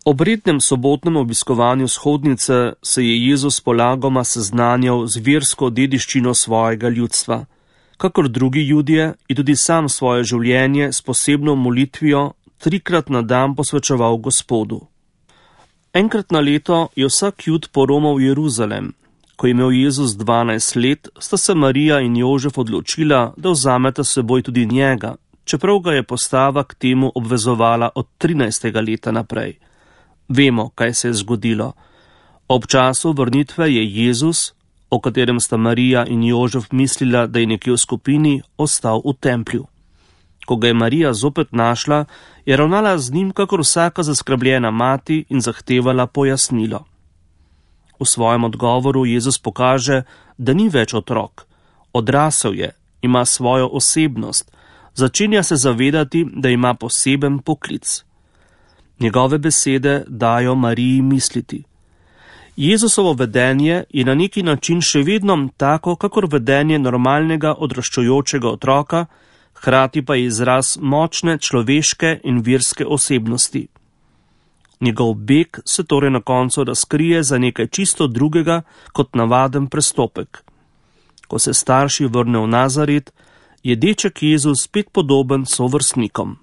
Ob rednem sobotnem obiskovanju shodnice se je Jezus polagoma seznanjal z versko dediščino svojega ljudstva. Kakor drugi Judje je tudi sam svoje življenje s posebno molitvijo 3-krat na dan posvečeval Gospodu. Enkrat na leto je vsak Jud poromal v Jeruzalem. Ko je imel Jezus 12 let, sta se Marija in Jožef odločila, da vzameta s seboj tudi njega, čeprav ga je postava k temu obvezovala od 13. leta naprej. Vemo, kaj se je zgodilo. Ob času vrnitve je Jezus, o katerem sta Marija in Jožef mislila, da je nekje v skupini, ostal v templju. Ko ga je Marija zopet našla, je ravnala z njim kakor vsaka zaskrbljena mati in zahtevala pojasnilo. V svojem odgovoru Jezus pokaže, da ni več otrok. Odrasel je, ima svojo osebnost, začenja se zavedati, da ima poseben poklic. Njegove besede dajo Mariji misliti. Jezusovo vedenje je na neki način še vedno tako, kakor vedenje normalnega odraščajočega otroka, hkrati pa je izraz močne človeške in verske osebnosti. Njegov beg se torej na koncu razkrije za nekaj čisto drugega kot navaden prestopek. Ko se starši vrnejo v Nazaret, je deček Jezus spet podoben sovrstnikom.